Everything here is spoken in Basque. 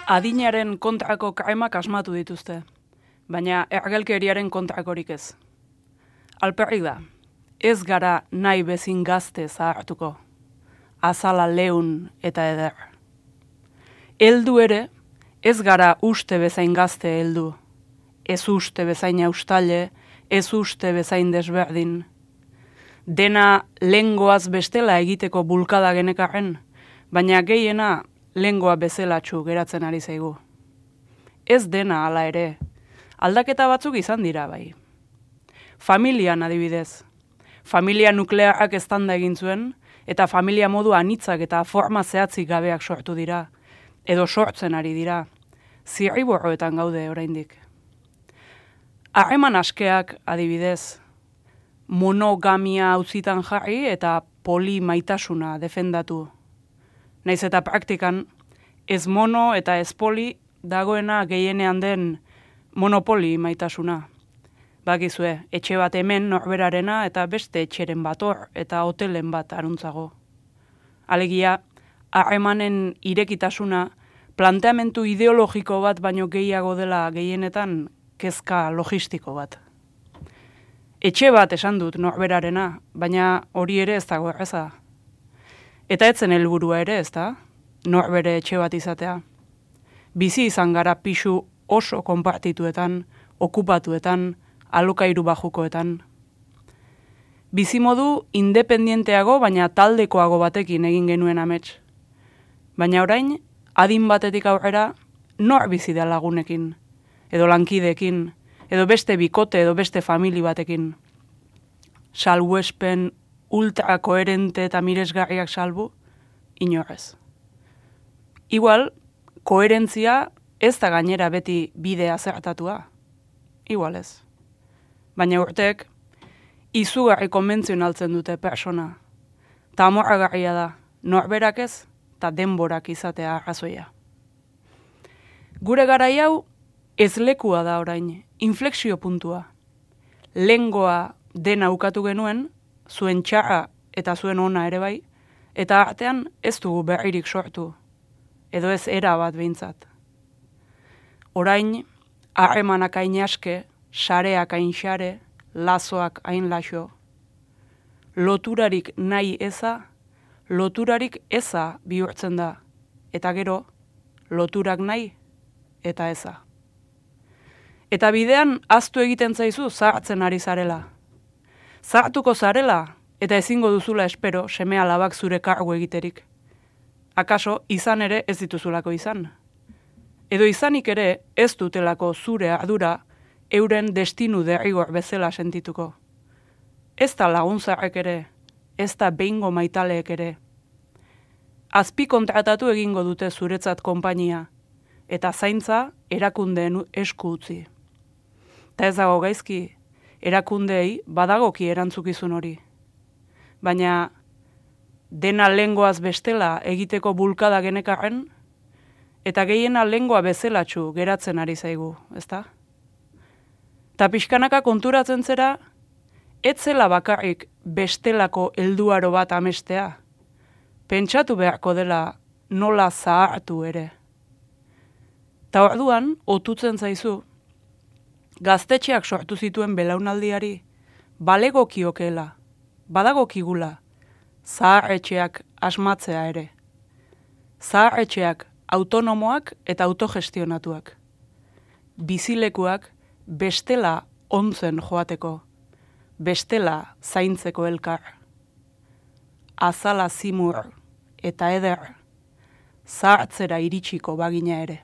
Adinaren kontrako krimak asmatu dituzte, baina ergelkeriaren kontrakorik ez. Alperrik da, ez gara nahi bezin gazte zahartuko, azala leun eta eder. Heldu ere, ez gara uste bezain gazte heldu, ez uste bezain austaile, ez uste bezain desberdin. Dena lengoaz bestela egiteko bulkada genekarren, baina gehiena lengoa bezelatxu geratzen ari zaigu. Ez dena hala ere, aldaketa batzuk izan dira bai. Familian adibidez, familia nuklearrak eztanda egin zuen, eta familia modu anitzak eta forma zehatzik gabeak sortu dira, edo sortzen ari dira, zirriborroetan gaude oraindik. Harreman askeak adibidez, monogamia auzitan jarri eta polimaitasuna defendatu. Naiz eta praktikan, ez mono eta ez poli dagoena gehienean den monopoli maitasuna. Bakizue, etxe bat hemen norberarena eta beste etxeren bat hor eta hotelen bat aruntzago. Alegia, harremanen irekitasuna planteamentu ideologiko bat baino gehiago dela gehienetan kezka logistiko bat. Etxe bat esan dut norberarena, baina hori ere ez dago erreza. Eta etzen helburua ere, ezta? Norbere etxe bat izatea. Bizi izan gara pisu oso konpartituetan, okupatuetan, alokairu bajukoetan. Bizimodu independienteago, baina taldekoago batekin egin genuen amets. Baina orain, adin batetik aurrera, nor bizi da lagunekin, edo lankideekin, edo beste bikote, edo beste famili batekin. Salbuespen ultra koherente eta miresgarriak salbu, inorrez. Igual, koherentzia ez da gainera beti bidea zertatua. Igual ez. Baina urtek, izugarri konbentzionaltzen dute persona. Ta amorragarria da, norberak ez, eta denborak izatea arrazoia. Gure garai hau, ez lekua da orain, inflexio puntua. Lengoa dena ukatu genuen, zuen txarra eta zuen ona ere bai, eta artean ez dugu berririk sortu, edo ez era bat behintzat. Orain, harremanak hain aske, sareak hain xare, lazoak hain laxo. Loturarik nahi eza, loturarik eza bihurtzen da, eta gero, loturak nahi eta eza. Eta bidean ahaztu egiten zaizu zahartzen ari zarela. Zahartuko zarela, eta ezingo duzula espero seme alabak zure kargu egiterik. Akaso, izan ere ez dituzulako izan. Edo izanik ere ez dutelako zure ardura euren destinu derrigor bezala sentituko. Ez da laguntzarrek ere, ez da behingo maitaleek ere. Azpi kontratatu egingo dute zuretzat konpainia, eta zaintza erakundeen esku utzi. Ta ez dago gaizki, erakundeei badagoki erantzukizun hori. Baina dena lengoaz bestela egiteko bulkada genekarren, eta gehiena lengoa bezelatxu geratzen ari zaigu, ezta? Ta pixkanaka konturatzen zera, ez zela bakarrik bestelako helduaro bat amestea, pentsatu beharko dela nola zahartu ere. Ta orduan, otutzen zaizu, gaztetxeak sortu zituen belaunaldiari, balegokiokeela, badagokigula, zaharretxeak asmatzea ere. Zaharretxeak autonomoak eta autogestionatuak. Bizilekuak bestela ontzen joateko, bestela zaintzeko elkar. Azala zimur eta eder, zahartzera iritsiko bagina ere.